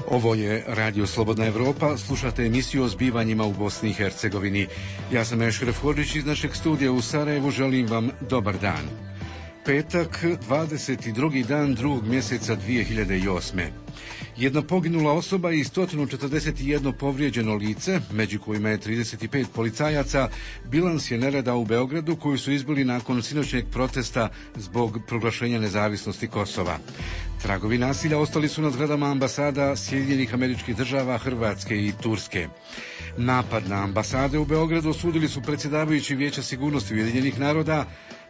Ovo je Radio Slobodna Evropa, slušate emisiju o zbivanjima u Bosni i Hercegovini. Ja sam Ešref Hodžić iz našeg studija u Sarajevu, želim vam dobar dan. Petak, 22. dan drugog mjeseca 2008. Jedna poginula osoba i 141 povrijeđeno lice, među kojima je 35 policajaca, bilans je nereda u Beogradu koju su izbili nakon sinoćnjeg protesta zbog proglašenja nezavisnosti Kosova. Tragovi nasilja ostali su na zgradama ambasada Sjedinjenih Američkih Država, Hrvatske i Turske. Napad na ambasade u Beogradu osudili su predsjedavajući Vijeća sigurnosti Ujedinjenih naroda,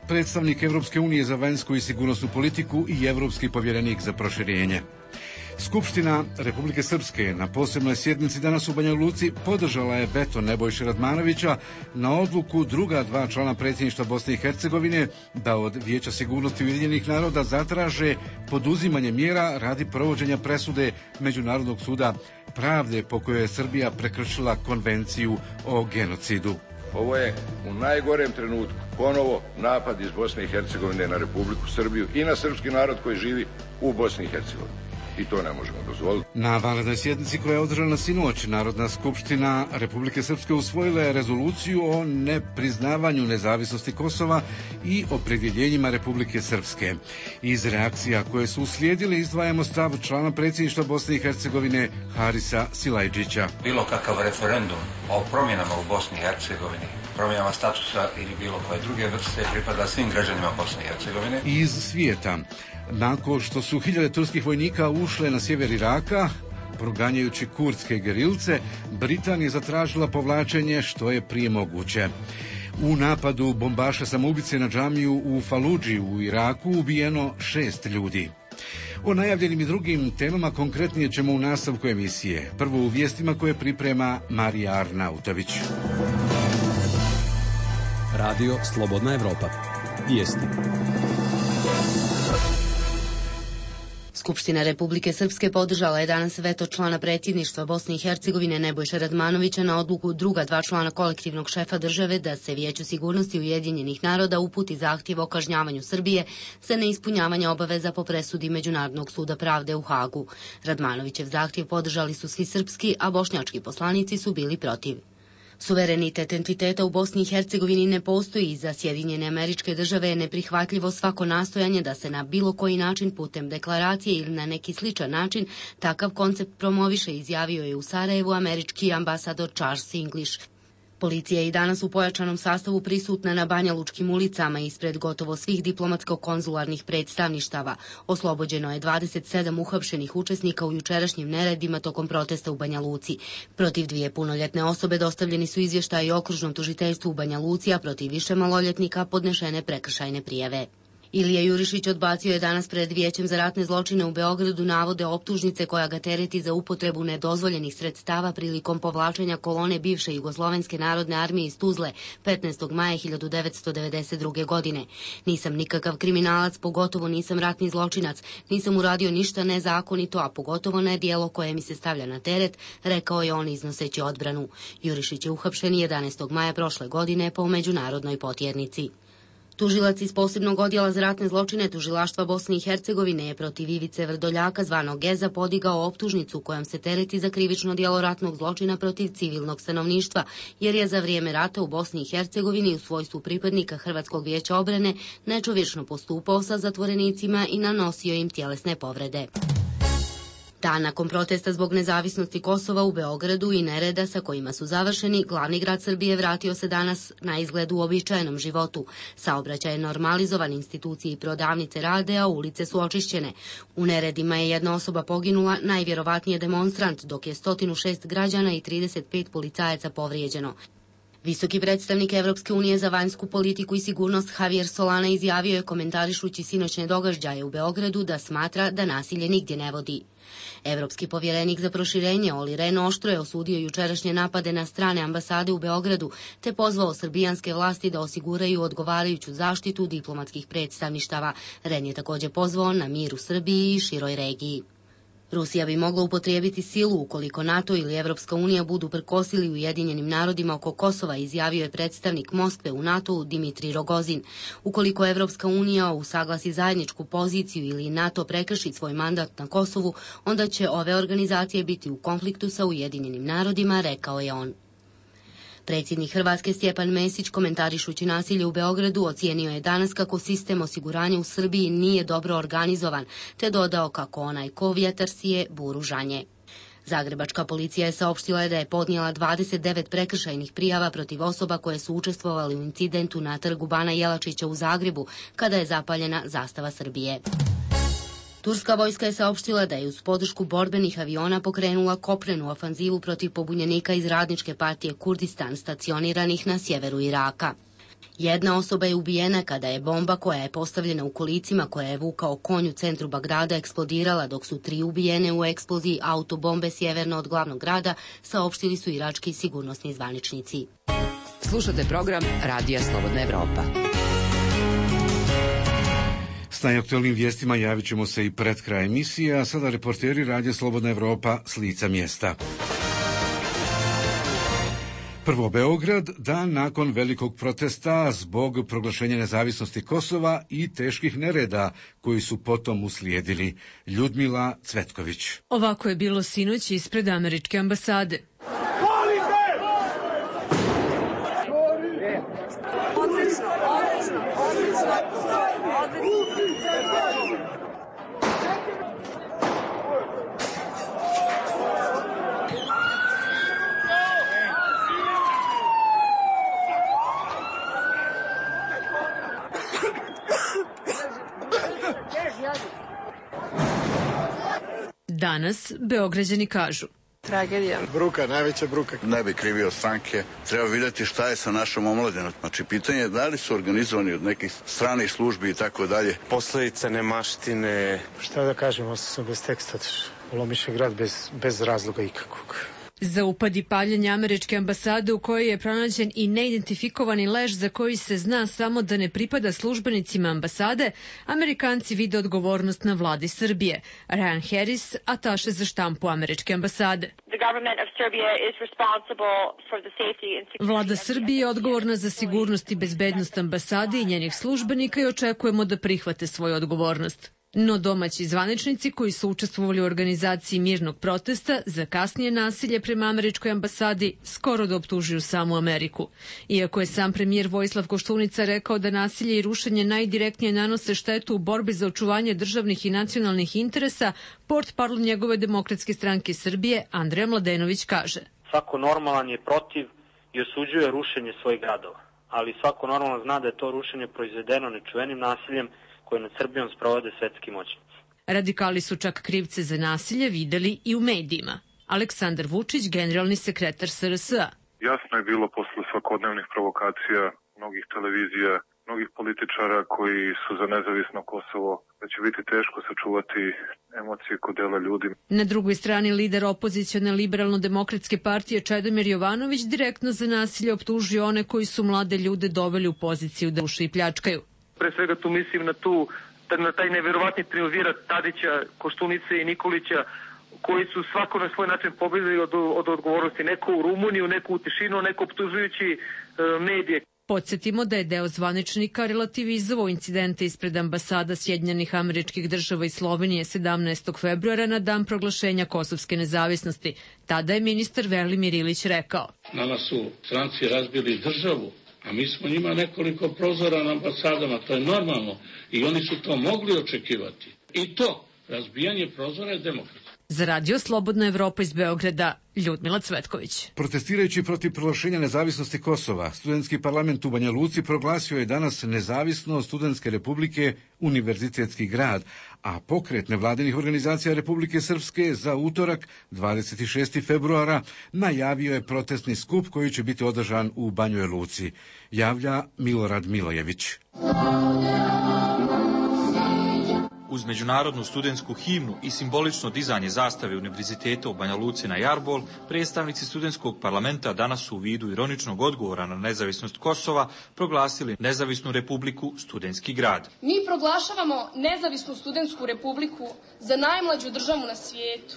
predstavnik Evropske unije za vanjsku i sigurnosnu politiku i Evropski povjerenik za proširenje. Skupština Republike Srpske na posebnoj sjednici danas u Banja Luci podržala je veto Nebojše Radmanovića na odluku druga dva člana predsjedništva Bosne i Hercegovine da od Vijeća sigurnosti Ujedinjenih naroda zatraže poduzimanje mjera radi provođenja presude Međunarodnog suda pravde po kojoj je Srbija prekršila konvenciju o genocidu. Ovo je u najgorem trenutku ponovo napad iz Bosne i Hercegovine na Republiku Srbiju i na srpski narod koji živi u Bosni i Hercegovini. I to ne možemo dozvoliti. Na vanrednoj sjednici koja je održana sinoć, Narodna skupština Republike Srpske usvojila je rezoluciju o nepriznavanju nezavisnosti Kosova i opredjeljenjima Republike Srpske. Iz reakcija koje su uslijedile izdvajamo stav člana predsjedništva Bosne i Hercegovine Harisa Silajđića. Bilo kakav referendum o promjenama u Bosni i Hercegovini, promjenama statusa ili bilo koje druge vrste pripada svim građanima Bosne i Hercegovine. Iz svijeta. Nakon što su hiljade turskih vojnika ušle na sjever Iraka, proganjajući kurdske gerilce, Britanija je zatražila povlačenje što je prije moguće. U napadu bombaša samoubice na džamiju u Faludži u Iraku ubijeno 6 ljudi. O najavljenim i drugim temama konkretnije ćemo u nastavku emisije. Prvo u vijestima koje priprema Marija Arnautović. Radio Slobodna Evropa. Vijesti. Skupština Republike Srpske podržala je danas veto člana predsjedništva Bosne i Hercegovine Nebojše Radmanovića na odluku druga dva člana kolektivnog šefa države da se Vijeću sigurnosti Ujedinjenih naroda uputi zahtjev o kažnjavanju Srbije za neispunjavanje obaveza po presudi Međunarodnog suda pravde u Hagu. Radmanovićev zahtjev podržali su svi srpski, a bošnjački poslanici su bili protiv. Suverenitet entiteta u Bosni i Hercegovini ne postoji i za Sjedinjene Američke Države je neprihvatljivo svako nastojanje da se na bilo koji način putem deklaracije ili na neki sličan način takav koncept promoviše, izjavio je u Sarajevu američki ambasador Charles English. Policija je i danas u pojačanom sastavu prisutna na banjalučkim ulicama ispred gotovo svih diplomatsko-konzularnih predstavništava. Oslobođeno je 27 uhapšenih učesnika u jučerašnjim neredima tokom protesta u Banja Luci. Protiv 2 punoljetne osobe dostavljeni su izvještaji okružnom tužiteljstvu u Banja Luci, a protiv više maloljetnika podnešene prekršajne prijave. Ilija Jurišić odbacio je danas pred Vijećem za ratne zločine u Beogradu navode optužnice koja ga tereti za upotrebu nedozvoljenih sredstava prilikom povlačenja kolone bivše Jugoslovenske narodne armije iz Tuzle 15. maja 1992. godine. Nisam nikakav kriminalac, pogotovo nisam ratni zločinac, nisam uradio ništa nezakonito, a pogotovo ne djelo koje mi se stavlja na teret, rekao je on iznoseći odbranu. Jurišić je uhapšen 11. maja prošle godine po međunarodnoj potjernici. Tužilac iz posebnog odjela za ratne zločine Tužilaštva Bosne i Hercegovine je protiv Ivice Vrdoljaka zvanog Geza podigao optužnicu kojom se tereti za krivično djelo ratnog zločina protiv civilnog stanovništva, jer je za vrijeme rata u Bosni i Hercegovini u svojstvu pripadnika Hrvatskog vijeća obrane nečovječno postupao sa zatvorenicima i nanosio im tjelesne povrede. Dan nakon protesta zbog nezavisnosti Kosova u Beogradu i nereda sa kojima su završeni, glavni grad Srbije vratio se danas na izgled u običajenom životu. Saobraćaj je normalizovan, institucije i prodavnice rade, a ulice su očišćene. U neredima je jedna osoba poginula, najvjerovatnije demonstrant, dok je 106 građana i 35 policajaca povrijeđeno. Visoki predstavnik Evropske unije za vanjsku politiku i sigurnost Javier Solana izjavio je komentarišući sinoćne događaje u Beogradu da smatra da nasilje nigdje ne vodi. Evropski povjerenik za proširenje Olli Rehn oštro je osudio jučerašnje napade na strane ambasade u Beogradu te pozvao srbijanske vlasti da osiguraju odgovarajuću zaštitu diplomatskih predstavništava. Rehn je također pozvao na mir u Srbiji i široj regiji. Rusija bi mogla upotrijebiti silu ukoliko NATO ili Evropska unija budu prkosili Ujedinjenim narodima oko Kosova, izjavio je predstavnik Moskve u NATO-u Dimitrij Rogozin. Ukoliko Evropska unija usaglasi zajedničku poziciju ili NATO prekrši svoj mandat na Kosovu, onda će ove organizacije biti u konfliktu sa Ujedinjenim narodima, rekao je on. Predsjednik Hrvatske Stjepan Mesić, komentarišući nasilje u Beogradu, ocijenio je danas kako sistem osiguranja u Srbiji nije dobro organizovan, te dodao kako onaj ko vjetar sije, buru žanje. Zagrebačka policija je saopštila da je podnijela 29 prekršajnih prijava protiv osoba koje su učestvovali u incidentu na trgu Bana Jelačića u Zagrebu, kada je zapaljena zastava Srbije. Turska vojska je saopštila da je uz podršku borbenih aviona pokrenula kopnenu ofanzivu protiv pobunjenika iz Radničke partije Kurdistan stacioniranih na sjeveru Iraka. Jedna osoba je ubijena kada je bomba koja je postavljena u kolicima koje je vukao konj u centru Bagdada eksplodirala, dok su 3 ubijene u eksploziji autobombe sjeverno od glavnog grada, saopštili su irački sigurnosni zvaničnici. Slušate program Radija Slobodna Evropa. S najaktualnim vijestima javit ćemo se i pred kraj emisije, a sada reporteri Radija Slobodna Evropa s lica mjesta. Prvo Beograd, dan nakon velikog protesta zbog proglašenja nezavisnosti Kosova i teških nereda koji su potom uslijedili. Ljudmila Cvetković. Ovako je bilo sinoć ispred američke ambasade. Danas Beograđani kažu: tragedija. Bruka, najveća bruka. Ne bi krivio stranke. Treba vidjeti šta je sa našom omladinom. Znači, pitanje je da li su organizovani od nekih stranih službi i tako dalje. Posledice nemaštine. Šta da kažemo, sam bez teksta. Ulomiše grad bez razloga ikakvog. Za upad i paljenje američke ambasade u kojoj je pronađen i neidentifikovani leš za koji se zna samo da ne pripada službenicima ambasade, Amerikanci vide odgovornost na vladi Srbije. Ryan Harris, ataše za štampu američke ambasade. Vlada Srbije je odgovorna za sigurnost i bezbednost ambasade i njenih službenika i očekujemo da prihvate svoju odgovornost. No domaći zvaničnici koji su učestvovali u organizaciji mirnog protesta za kasnije nasilje prema američkoj ambasadi skoro da optužuju samu Ameriku. Iako je sam premijer Vojislav Koštunica rekao da nasilje i rušenje najdirektnije nanose štetu u borbi za očuvanje državnih i nacionalnih interesa, portparol njegove Demokratske stranke Srbije Andreja Mladenović kaže: svako normalan je protiv i osuđuje rušenje svojih gradova, ali svako normalan zna da je to rušenje proizvedeno nečuvenim nasiljem koje nad Srbijom sprovode svetski moćnici. Radikali su čak krivce za nasilje videli i u medijima. Aleksandar Vučić, generalni sekretar SRS-a. Jasno je bilo posle svakodnevnih provokacija mnogih televizija, mnogih političara koji su za nezavisno Kosovo, da će biti teško sačuvati emocije kod dela ljudi. Na drugoj strani lider opozicione liberalno-demokratske partije Čedomir Jovanović direktno za nasilje optužio one koji su mlade ljude doveli u poziciju da ruše i pljačkaju. Pre svega tu mislim na taj neverovatni triumvirat Tadića, Koštunice i Nikolića, koji su svako na svoj način pobjegli od odgovornosti. Neko u Rumuniju, neko u tišinu, neko optužujući medije. Podsjetimo da je deo zvaničnika relativizovao incidente ispred ambasada Sjedinjenih Američkih Država i Slovenije 17. februara na dan proglašenja kosovske nezavisnosti. Tada je ministar Velimir Ilić rekao: nama su stranci razbili državu, a mi smo njima nekoliko prozora na ambasadama, to je normalno i oni su to mogli očekivati. I to, razbijanje prozora je demokratsko. Za Radio Slobodna Evropa iz Beograda, Ljudmila Cvetković. Protestirajući protiv proglašenja nezavisnosti Kosova, studentski parlament u Banja Luci proglasio je danas nezavisno Studentske republike Univerzitetski grad, a pokret nevladinih organizacija Republike Srpske za utorak 26. februara najavio je protestni skup koji će biti održan u Banjoj Luci. Javlja Milorad Milojević. Uz međunarodnu studentsku himnu i simbolično dizanje zastave Univerziteta u Banja Luci na Jarbol, predstavnici studentskog parlamenta danas su u vidu ironičnog odgovora na nezavisnost Kosova proglasili Nezavisnu republiku Studentski grad. Mi proglašavamo Nezavisnu studentsku republiku za najmlađu državu na svijetu,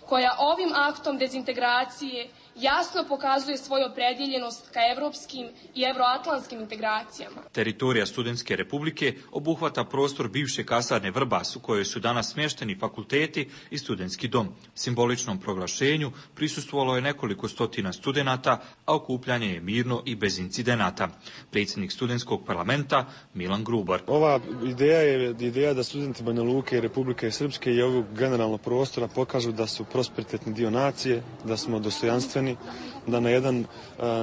koja ovim aktom dezintegracije jasno pokazuje svoju opredjeljenost ka evropskim i evroatlantskim integracijama. Teritorija Studentske republike obuhvata prostor bivše kasarne Vrbas u kojoj su danas smješteni fakulteti i studentski dom. Simboličnom proglašenju prisustvovalo je nekoliko stotina studenata, a okupljanje je mirno i bez incidenata. Predsjednik studentskog parlamenta Milan Grubar. Ova ideja je ideja da studenti Banja Luke i Republike Srpske i ovog generalnog prostora pokažu da su prosperitetni dio nacije, da smo dostojanstveni, da na jedan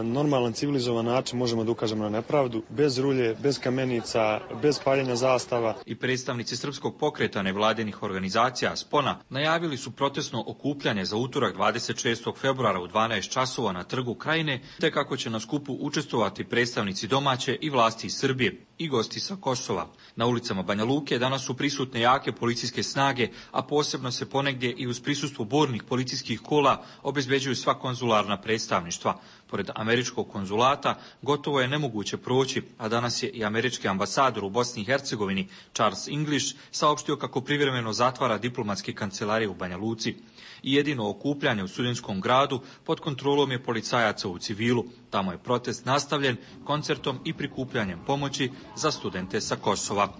normalan, civilizovan način možemo da ukažemo na nepravdu, bez rulje, bez kamenica, bez paljenja zastava. I predstavnici srpskog pokreta nevladinih organizacija Spona najavili su protestno okupljanje za utorak 26. februara u 12 časova na Trgu Krajine, te kako će na skupu učestvovati predstavnici domaće i vlasti iz Srbije i gosti sa Kosova. Na ulicama Banja Luke danas su prisutne jake policijske snage, a posebno se ponegdje i uz prisustvo bornih policijskih kola obezbeđuju sva konzularna predstavništva. Pored američkog konzulata gotovo je nemoguće proći, a danas je i američki ambasador u Bosni i Hercegovini Charles English saopštio kako privremeno zatvara diplomatske kancelarije u Banja Luci. I jedino okupljanje u studentskom gradu pod kontrolom je policajaca u civilu. Tamo je protest nastavljen koncertom i prikupljanjem pomoći za studente sa Kosova.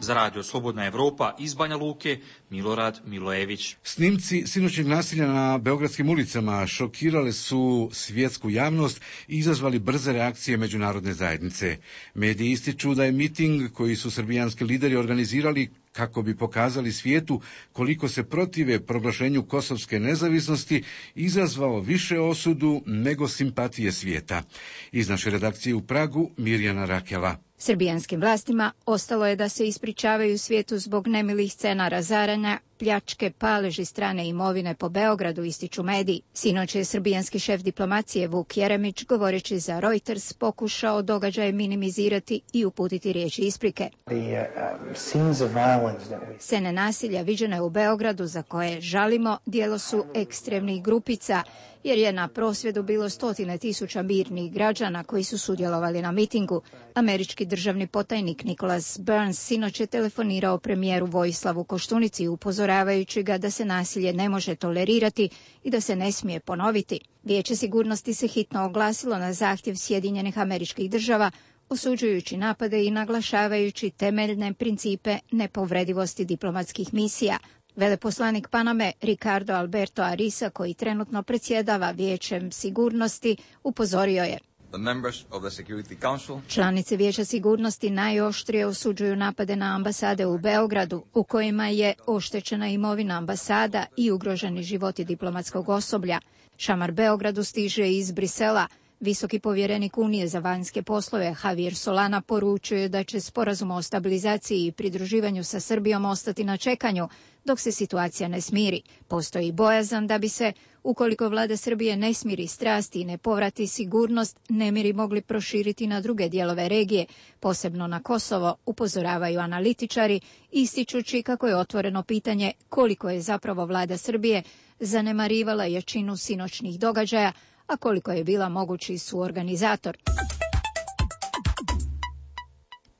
Za Radio Slobodna Evropa iz Banja Luke, Milorad Milojević. Snimci sinoćnjeg nasilja na beogradskim ulicama šokirale su svjetsku javnost i izazvali brze reakcije međunarodne zajednice. Mediji ističu da je miting koji su srbijanski lideri organizirali kako bi pokazali svijetu koliko se protive proglašenju kosovske nezavisnosti, izazvao više osudu nego simpatije svijeta. Iz naše redakcije u Pragu, Mirjana Rakela. Srbijanskim vlastima ostalo je da se ispričavaju svijetu zbog nemilih scena razaranja, pljačke, paleži strane imovine po Beogradu, ističu mediji. Sinoć je srbijanski šef diplomacije Vuk Jeremić, govoreći za Reuters, pokušao događaje minimizirati i uputiti riječi isprike. Scene nasilja viđene u Beogradu za koje žalimo djelo su ekstremnih grupica, jer je na prosvjedu bilo 100.000 mirnih građana koji su sudjelovali na mitingu. Američki državni potajnik Nicholas Burns sinoć je telefonirao premijeru Vojislavu Koštunici upozoravajući ga da se nasilje ne može tolerirati i da se ne smije ponoviti. Vijeće sigurnosti se hitno oglasilo na zahtjev Sjedinjenih Američkih Država, osuđujući napade i naglašavajući temeljne principe nepovredivosti diplomatskih misija. Veleposlanik Paname Ricardo Alberto Arisa, koji trenutno predsjedava Vijećem sigurnosti, upozorio je: članice Vijeća sigurnosti najoštrije osuđuju napade na ambasade u Beogradu, u kojima je oštećena imovina ambasada i ugroženi životi diplomatskog osoblja. Šamar Beogradu stiže iz Brisela. Visoki povjerenik Unije za vanjske poslove Javier Solana poručuje da će sporazum o stabilizaciji i pridruživanju sa Srbijom ostati na čekanju dok se situacija ne smiri. Postoji bojazan da bi se, ukoliko vlada Srbije ne smiri strasti i ne povrati sigurnost, nemiri mogli proširiti na druge dijelove regije, posebno na Kosovo, upozoravaju analitičari, ističući kako je otvoreno pitanje koliko je zapravo vlada Srbije zanemarivala jačinu sinoćnih događaja, a koliko je bila mogući suorganizator.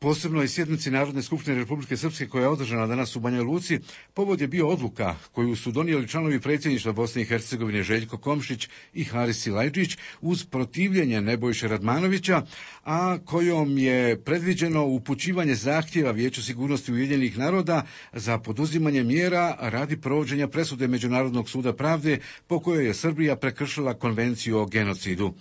Posebno i sjednici Narodne skupštine Republike Srpske koja je održana danas u Banja Luci, povod je bio odluka koju su donijeli članovi predsjedništva Bosne i Hercegovine Željko Komšić i Haris Silajđić uz protivljenje Nebojše Radmanovića, a kojom je predviđeno upućivanje zahtjeva Vijeću sigurnosti Ujedinjenih naroda za poduzimanje mjera radi provođenja presude Međunarodnog suda pravde po kojoj je Srbija prekršila konvenciju o genocidu.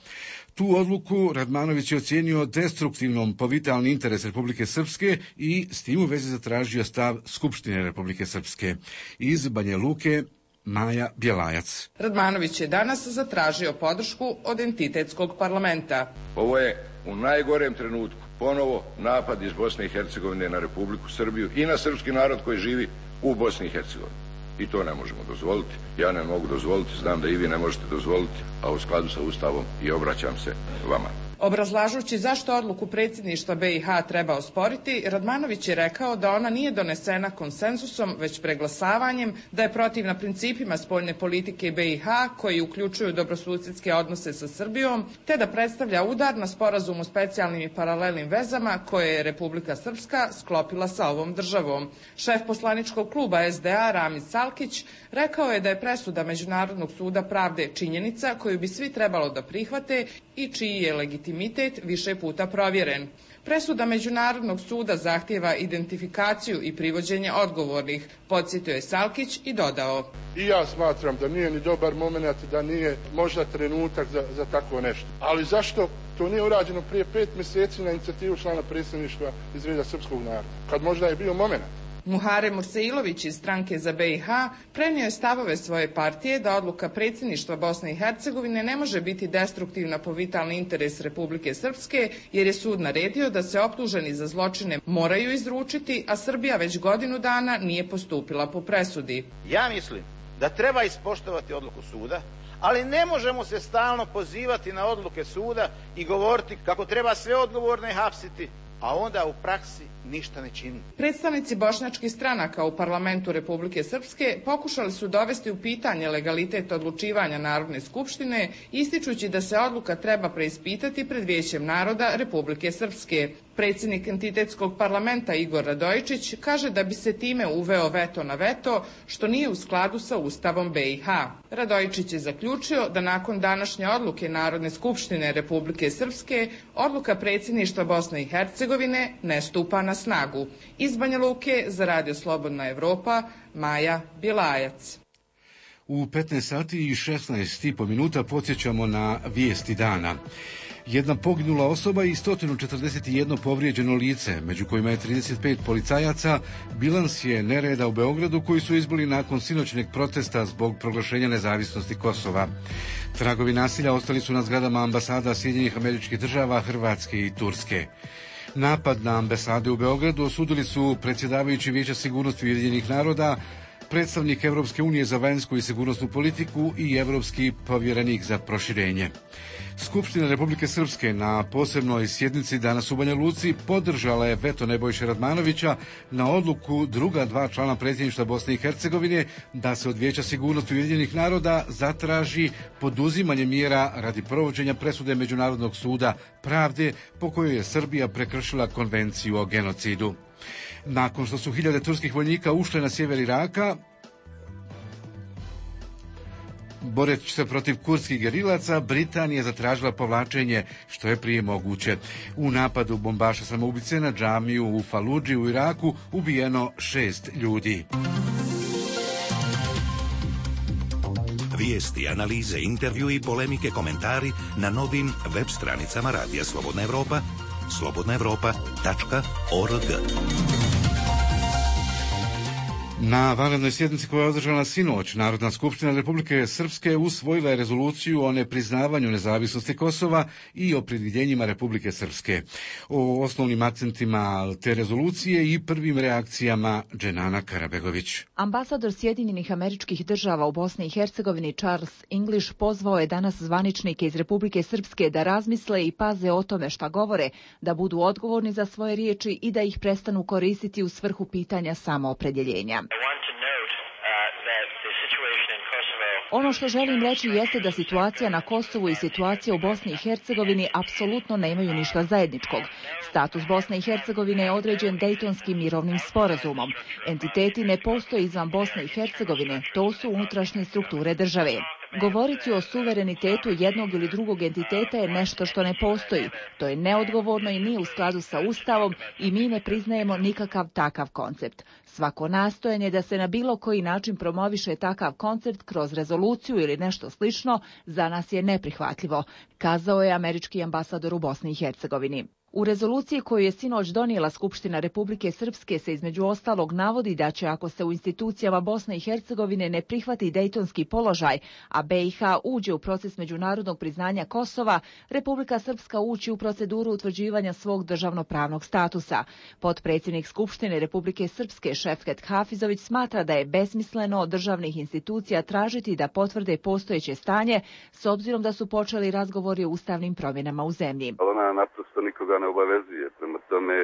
Tu odluku Radmanović je ocijenio destruktivnom po vitalni interes Republike Srpske i s tim u vezi zatražio stav Skupštine Republike Srpske. Iz Banja Luke, Maja Bjelajac. Radmanović je danas zatražio podršku od entitetskog parlamenta. Ovo je u najgorem trenutku ponovo napad iz Bosne i Hercegovine na Republiku Srbiju i na srpski narod koji živi u Bosni i Hercegovini. I to ne možemo dozvoliti. Ja ne mogu dozvoliti, znam da i vi ne možete dozvoliti, a u skladu sa Ustavom i obraćam se vama. Obrazlažući zašto odluku predsjedništva BiH treba osporiti, Radmanović je rekao da ona nije donesena konsenzusom, već preglasavanjem, da je protivna principima spoljne politike BiH koji uključuju dobrosusjedske odnose sa Srbijom, te da predstavlja udar na sporazum o specijalnim i paralelnim vezama koje je Republika Srpska sklopila sa ovom državom. Šef poslaničkog kluba SDA Ramiz Salkić rekao je da je presuda Međunarodnog suda pravde činjenica koju bi svi trebalo da prihvate i čiji je legitimitet više puta provjeren. Presuda Međunarodnog suda zahtijeva identifikaciju i privođenje odgovornih, podsjetio je Salkić i dodao. I ja smatram da nije ni dobar moment, da nije možda trenutak za takvo nešto. Ali zašto to nije urađeno prije 5 mjeseci na inicijativu člana predsjedništva iz reda srpskog naroda, kad možda je bio moment? Muhare Murseilović iz stranke za BiH prenio je stavove svoje partije da odluka predsjedništva Bosne i Hercegovine ne može biti destruktivna po vitalni interes Republike Srpske, jer je sud naredio da se optuženi za zločine moraju izručiti, a Srbija već godinu dana nije postupila po presudi. Ja mislim da treba ispoštovati odluku suda, ali ne možemo se stalno pozivati na odluke suda i govoriti kako treba sve odgovorne hapsiti, a onda u praksi ništa ne čini. Predstavnici bošnjačkih stranaka u parlamentu Republike Srpske pokušali su dovesti u pitanje legalitet odlučivanja Narodne skupštine, ističući da se odluka treba preispitati pred Vijećem naroda Republike Srpske. Predsjednik entitetskog parlamenta Igor Radojičić kaže da bi se time uveo veto na veto, što nije u skladu sa Ustavom BiH. Radojičić je zaključio da nakon današnje odluke Narodne skupštine Republike Srpske, odluka predsjedništva Bosne i Hercegovine ne stupa na snagu. Iz Banja Luke za Radio Slobodna Evropa, Maja Bilajac. U 15 sati i 16,5 minuta podsjećamo na vijesti dana. Jedna poginula osoba i 141 povrijeđeno lice, među kojima je 35 policajaca, bilans je nereda u Beogradu koji su izbili nakon sinoćnjeg protesta zbog proglašenja nezavisnosti Kosova. Tragovi nasilja ostali su na zgradama ambasada Sjedinjenih Američkih Država, Hrvatske i Turske. Napad na ambasade u Beogradu osudili su predsjedavajući Vijeća sigurnosti Ujedinjenih naroda, predstavnik Evropske unije za vanjsku i sigurnosnu politiku i evropski povjerenik za proširenje. Skupština Republike Srpske na posebnoj sjednici danas u Banja Luci podržala je veto Nebojše Radmanovića na odluku druga dva člana predsjedništva Bosne i Hercegovine da se od Vijeća sigurnosti Ujedinjenih naroda zatraži poduzimanje mjera radi provođenja presude Međunarodnog suda pravde po kojoj je Srbija prekršila konvenciju o genocidu. Nakon što su hiljade turskih vojnika ušle na sjever Iraka, boreći se protiv kurdskih gerilaca, Britanija zatražila povlačenje što je prije moguće. U napadu bombaša samoubice na džamiju u Faludži u Iraku ubijeno 6 ljudi. Vijesti, analize, intervju i polemike, komentari na novim web stranicama Radija Slobodna Evropa, slobodnaevropa.org. Na vanrednoj sjednici koja je održana sinoć, Narodna skupština Republike Srpske usvojila je rezoluciju o nepriznavanju nezavisnosti Kosova i o predviđenjima Republike Srpske. O osnovnim akcentima te rezolucije i prvim reakcijama Dženana Karabegović. Ambasador Sjedinjenih Američkih Država u Bosni i Hercegovini Charles English pozvao je danas zvaničnike iz Republike Srpske da razmisle i paze o tome šta govore, da budu odgovorni za svoje riječi i da ih prestanu koristiti u svrhu pitanja samoopredjeljenja. Ono što želim reći jeste da situacija na Kosovu i situacija u Bosni i Hercegovini apsolutno nemaju ništa zajedničkog. Status Bosne i Hercegovine je određen Dejtonskim mirovnim sporazumom. Entiteti ne postoje izvan Bosne i Hercegovine, to su unutrašnje strukture države. Govoriti o suverenitetu jednog ili drugog entiteta je nešto što ne postoji. To je neodgovorno i nije u skladu sa Ustavom i mi ne priznajemo nikakav takav koncept. Svako nastojanje da se na bilo koji način promoviše takav koncept kroz rezoluciju ili nešto slično za nas je neprihvatljivo, kazao je američki ambasador u Bosni i Hercegovini. U rezoluciji koju je sinoć donijela Skupština Republike Srpske se između ostalog navodi da će, ako se u institucijama Bosne i Hercegovine ne prihvati dejtonski položaj, a BiH uđe u proces međunarodnog priznanja Kosova, Republika Srpska ući u proceduru utvrđivanja svog državnopravnog statusa. Potpredsjednik Skupštine Republike Srpske Šefket Hafizović smatra da je besmisleno od državnih institucija tražiti da potvrde postojeće stanje, s obzirom da su počeli razgovori o ustavnim promjenama u zemlji. Ona naprosto nikoga ne obavezuje. Prema tome,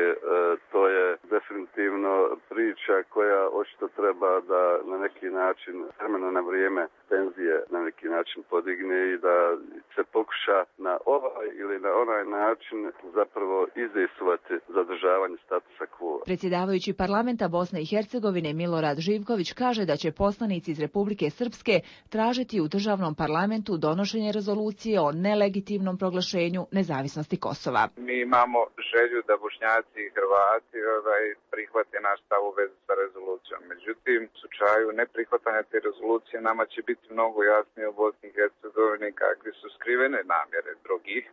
to je definitivno priča koja očito treba da na neki način, vremena na vrijeme, tenzije na neki način podigne i da se pokuša na ovaj ili na onaj način zapravo izdejstvovati zadržavanje statusa quo. Predsjedavajući parlamenta Bosne i Hercegovine Milorad Živković kaže da će poslanici iz Republike Srpske tražiti u državnom parlamentu donošenje rezolucije o nelegitimnom proglašenju nezavisnosti Kosova. Mi imamo želju da Bošnjaci i Hrvati prihvate naš stav u vezi sa rezolucijom. Međutim, u slučaju neprihvatanja te rezolucije nama će biti mnogo jasnije u Bosni i Hercegovini kakve su skrivene namjere drugih,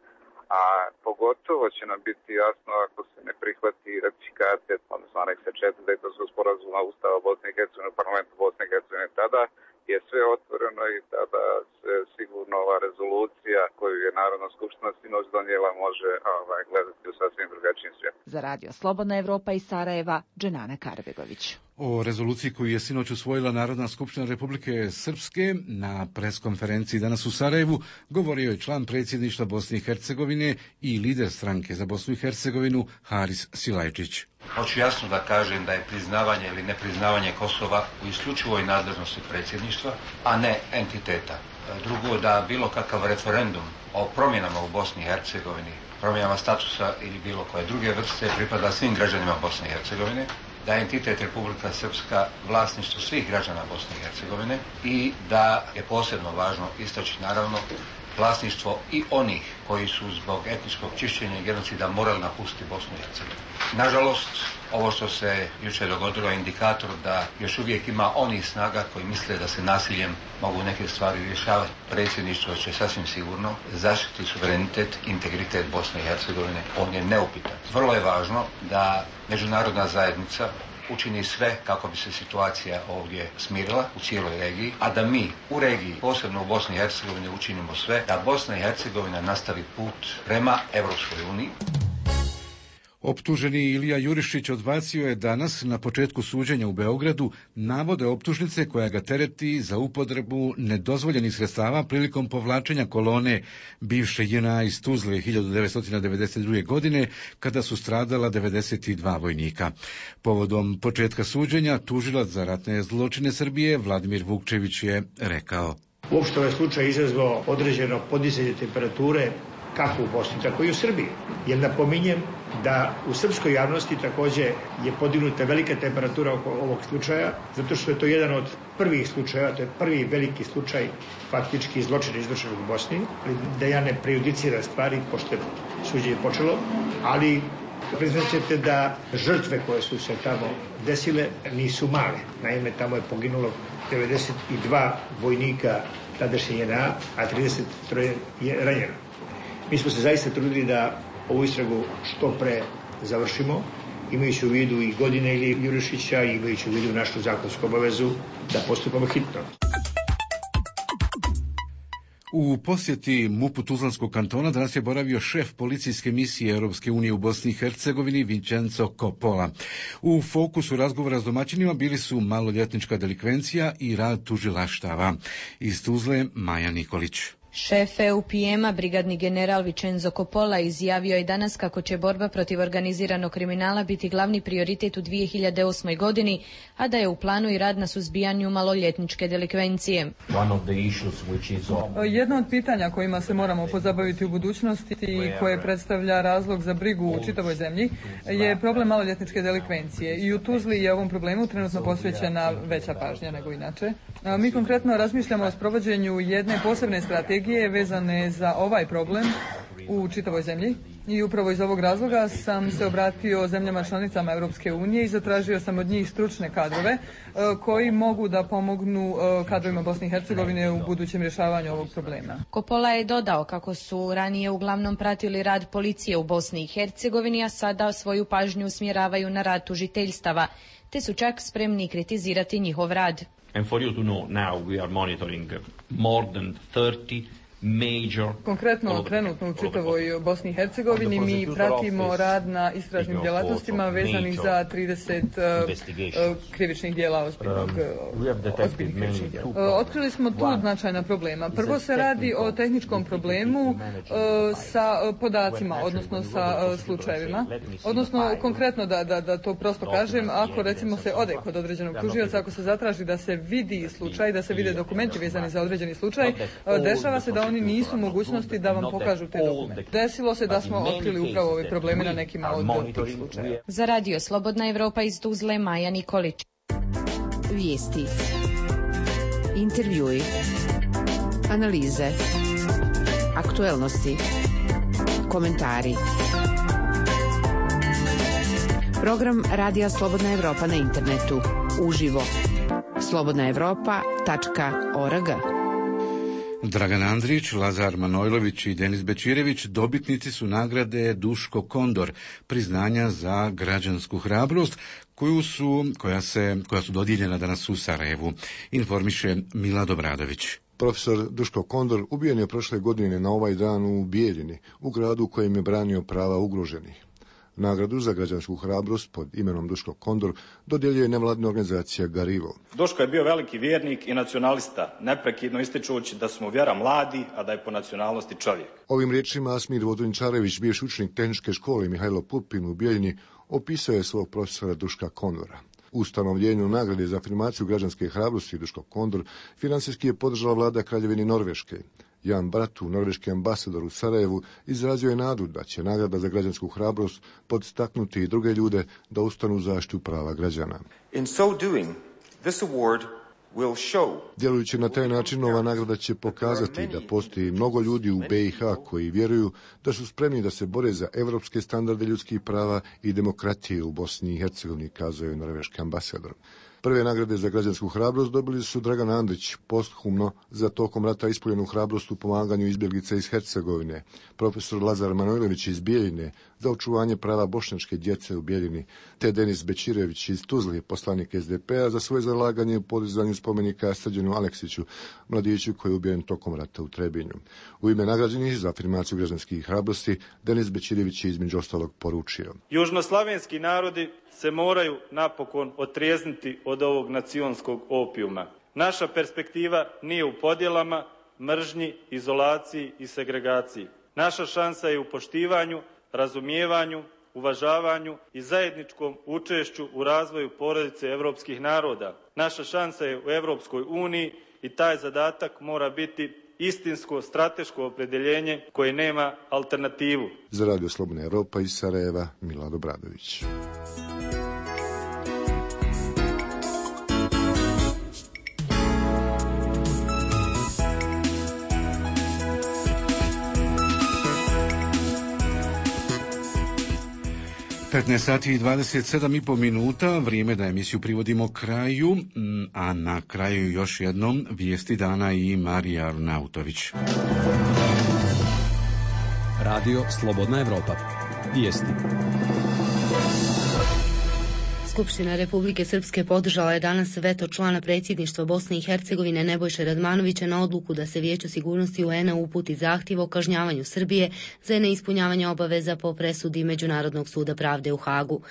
a pogotovo će nam biti jasno ako se ne prihvati ratifikacija, odnosno aneksa 4 Dejtonskog sporazuma Ustava Bosne i Hercegovine u parlamentu Bosne i Hercegovine. Tada je sve otvoreno i tada se sigurno ova rezolucija koju je Narodna skupština sinoć donijela može gledati u sasvim drugačijim svijetom. Za Radio Slobodna Evropa iz Sarajeva, Dženana Karbegović. O rezoluciji koju je sinoć usvojila Narodna skupština Republike Srpske na preskonferenciji danas u Sarajevu govorio je član predsjedništva Bosne i Hercegovine i lider stranke za Bosnu i Hercegovinu Haris Silajčić. Hoću jasno da kažem da je priznavanje ili nepriznavanje Kosova u isključivoj nadležnosti predsjedništva, a ne entiteta. Drugo, da bilo kakav referendum o promjenama u Bosni i Hercegovini, promjenama statusa ili bilo koje druge vrste pripada svim građanima Bosne i Hercegovine, da je entitet Republika Srpska vlasništvo svih građana Bosne i Hercegovine i da je posebno važno istaći naravno vlasništvo i onih koji su zbog etničkog čišćenja i genocida morali napustiti Bosnu i Hercegovinu. Nažalost, ovo što se jučer dogodilo je indikator da još uvijek ima onih snaga koji misle da se nasiljem mogu neke stvari rješavati. Predsjedništvo će sasvim sigurno zaštiti suverenitet, integritet Bosne i Hercegovine. On je neupitan. Vrlo je važno da međunarodna zajednica učini sve kako bi se situacija ovdje smirila u cijeloj regiji, a da mi u regiji, posebno u Bosni i Hercegovini, učinimo sve da Bosna i Hercegovina nastavi put prema Europskoj uniji. Optuženi Ilija Jurišić odbacio je danas na početku suđenja u Beogradu navode optužnice koja ga tereti za upotrebu nedozvoljenih sredstava prilikom povlačenja kolone bivše JNA iz Tuzle 1992. godine kada su stradala 92 vojnika. Povodom početka suđenja tužilac za ratne zločine Srbije Vladimir Vukčević je rekao: Uopšte ovaj slučaj izazvao određeno podizanje temperature kako u Bosni, tako i u Srbiji. Jer napominjem da u srpskoj javnosti također je podignuta velika temperatura oko ovog slučaja, zato što je to jedan od prvih slučajeva, to je prvi veliki slučaj faktički zločina izvršenog u Bosni, da ja ne prejudiciram stvari, pošto je suđenje počelo, ali priznat ćete da žrtve koje su se tamo desile nisu male. Naime, tamo je poginulo 92 vojnika tadašnje JNA, a 33 je ranjeno. Mi smo se zaista trudili da ovu istragu što pre završimo, imajući u vidu i godine Ilije Jurišića i imajući u vidu našu zakonsku obavezu da postupamo hitno. U posjeti MUP-u Tuzlanskog kantona danas je boravio šef policijske misije Europske unije u Bosni i Hercegovini Vincenzo Coppola. U fokusu razgovora s domaćinima bili su maloljetnička delikvencija i rad tužilaštava. Iz Tuzle Maja Nikolić. Šef EUPM-a, brigadni general Vincenzo Coppola, izjavio je danas kako će borba protiv organiziranog kriminala biti glavni prioritet u 2008. godini, a da je u planu i rad na suzbijanju maloljetničke delikvencije. Jedno od pitanja kojima se moramo pozabaviti u budućnosti i koje predstavlja razlog za brigu u čitavoj zemlji je problem maloljetničke delikvencije. I u Tuzli je ovom problemu trenutno posvećena veća pažnja nego inače. Mi konkretno razmišljamo o sprovođenju jedne posebne strategije vezane za ovaj problem u čitavoj zemlji. I upravo iz ovog razloga sam se obratio zemljama članicama Europske unije i zatražio sam od njih stručne kadrove koji mogu da pomognu kadrovima Bosne i Hercegovine u budućem rješavanju ovog problema. Coppola je dodao kako su ranije uglavnom pratili rad policije u Bosni i Hercegovini, a sada svoju pažnju usmjeravaju na rad tužiteljstava, te su čak spremni kritizirati njihov rad. And for you to know, now we are monitoring more than 30 Konkretno, trenutno u čitavoj Bosni i Hercegovini mi pratimo rad na istražnim djelatnostima vezanih za 30 krivičnih djela, ozbiljnih krivičnih djela. Otkrili smo tu značajna problema. Prvo se radi o tehničkom problemu sa podacima, odnosno sa slučajevima. Odnosno, konkretno da to prosto kažem, ako recimo se ode kod određenog tužioca, ako se zatraži da se vidi slučaj, da se vide dokumenti vezani za određeni slučaj, dešava se da oni nisu mogućnosti da vam pokažu te dokumente. Desilo se da smo otkrili upravo ove probleme na nekima od tih slučaja. Za Radio Slobodna Evropa iz Tuzle, Maja Nikolić. Vijesti, intervjui, analize, aktuelnosti, komentari. Program Radija Slobodna Evropa na internetu. Uživo. slobodnaevropa.org. Dragan Andrić, Lazar Manojlović i Denis Bečirević dobitnici su nagrade Duško Kondor, priznanja za građansku hrabrost koja su dodijeljena danas u Sarajevu, informiše Milad Obradović. Profesor Duško Kondor ubijen je prošle godine na ovaj dan u Bijeljini, u gradu u kojem je branio prava ugroženih. Nagradu za građansku hrabrost pod imenom Duško Kondor dodjeljuje nevladna organizacija Garivo. Duško je bio veliki vjernik i nacionalista, neprekidno ističući da smo vjera mladi, a da je po nacionalnosti čovjek. Ovim riječima Asmir Vodunčarević, bivši učenik tehničke škole Mihajlo Pupin u Bijeljini, opisao je svog profesora Duška Kondora. U ustanovljenju nagrade za afirmaciju građanske hrabrosti Duško Kondor finansijski je podržala vlada Kraljevine Norveške. Jan Bratu, norveški ambasador u Sarajevu, izrazio je nadu da će nagrada za građansku hrabrost podstaknuti i druge ljude da ustanu u zaštitu prava građana. In so doing, this award will show. Djelujući na taj način, ova nagrada će pokazati da postoji mnogo ljudi u BiH koji vjeruju da su spremni da se bore za evropske standarde ljudskih prava i demokratije u Bosni i Hercegovini, kazao je norveški ambasador. Prve nagrade za građansku hrabrost dobili su Dragan Andrić, posthumno za tokom rata ispoljenu hrabrost u pomaganju izbjeglica iz Hercegovine, profesor Lazar Manojlović iz Bijeljine za očuvanje prava bošnjačke djece u Bijeljini, te Denis Bečirević iz Tuzle, poslanik SDP-a, za svoje zalaganje u podizanju spomenika Srđanu Aleksiću, mladiću koji je ubijen tokom rata u Trebinju. U ime nagrađenih za afirmaciju građanskih hrabrosti, Denis Bečirević je između ostalog poručio: Južnoslavenski narodi se moraju napokon otrijezniti od ovog nacionskog opijuma. Naša perspektiva nije u podjelama, mržnji, izolaciji i segregaciji. Naša šansa je u poštivanju, razumijevanju, uvažavanju i zajedničkom učešću u razvoju porodice evropskih naroda. Naša šansa je u Evropskoj uniji i taj zadatak mora biti istinsko strateško opredjeljenje koje nema alternativu. Za Radio Slobodna Evropa iz Sarajeva, Milad Obradović. sati i 27,5 minuta, vrijeme da emisiju privodimo kraju, a na kraju još jednom vijesti dana i Marija Arnautović. Radio Slobodna Evropa. Vijesti. Skupština Republike Srpske podržala je danas veto člana predsjedništva Bosne i Hercegovine Nebojše Radmanovića na odluku da se Vijeću sigurnosti UN-a uputi zahtjev o kažnjavanju Srbije za neispunjavanje obaveza po presudi Međunarodnog suda pravde u Hagu.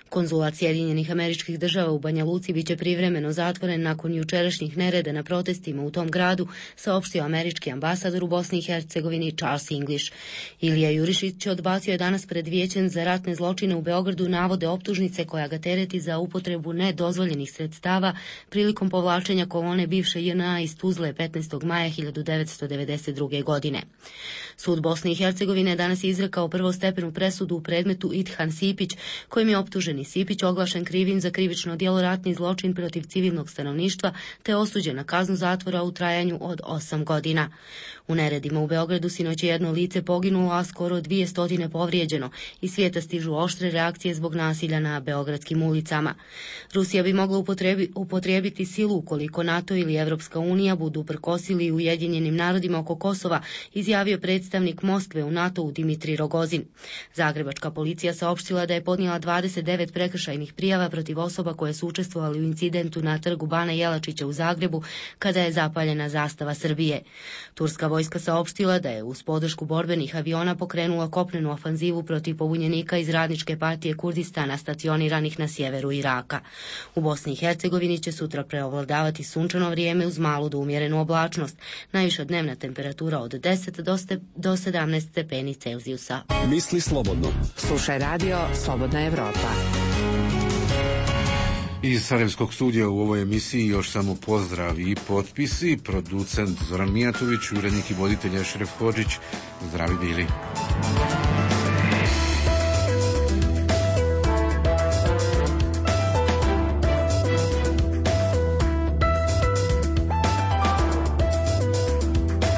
Konzulat Sjedinjenih Američkih Država u Banja Luci biće privremeno zatvoren nakon jučerašnjih nereda na protestima u tom gradu, saopštio američki ambasador u Bosni i Hercegovini Charles English. Ilija Jurišić odbacio je danas pred Vijećem za ratne zločine u Beogradu navode optužnice koja ga tereti odgovarati za upotrebu nedozvoljenih sredstava prilikom povlačenja kolone bivše JNA iz Tuzle 15. maja 1992. godine. Sud Bosne i Hercegovine danas je izrekao prvostepenu presudu u predmetu Idhan Sipić, kojim je optuženi Sipić oglašen krivim za krivično djelo ratni zločin protiv civilnog stanovništva te osuđen na kaznu zatvora u trajanju od 8 godina. U neredima u Beogradu sinoć je jedno lice poginulo, a skoro 200 povrijeđeno. Iz svijeta stižu oštre reakcije zbog nasilja na beogradskim ulicama. Rusija bi mogla upotrijebiti silu ukoliko NATO ili Evropska unija budu prkosili Ujedinjenim narodima oko Kosova, izjavio predstavnik Moskve u NATO-u Dimitrij Rogozin. Zagrebačka policija saopštila da je podnijela 29 prekršajnih prijava protiv osoba koje su učestvovali u incidentu na trgu Bana Jelačića u Zagrebu kada je zapaljena zastava Srbije. Turska vojska saopštila da je uz podršku borbenih aviona pokrenula kopnenu ofanzivu protiv pobunjenika iz Radničke partije Kurdistana stacioniranih na sjeveru Iraka. U Bosni i Hercegovini će sutra preovladavati sunčano vrijeme uz malu do umjerenu oblačnost. Najviša dnevna temperatura od 10 do 17 stepeni Celzijusa. Misli slobodno. Slušaj radio Slobodna Evropa. Iz Sarajevskog studija u ovoj emisiji još samo pozdrav i potpisi. Producent Zoran Mijatović, urednik i voditelj Ešref Hodžić. Zdravi bili.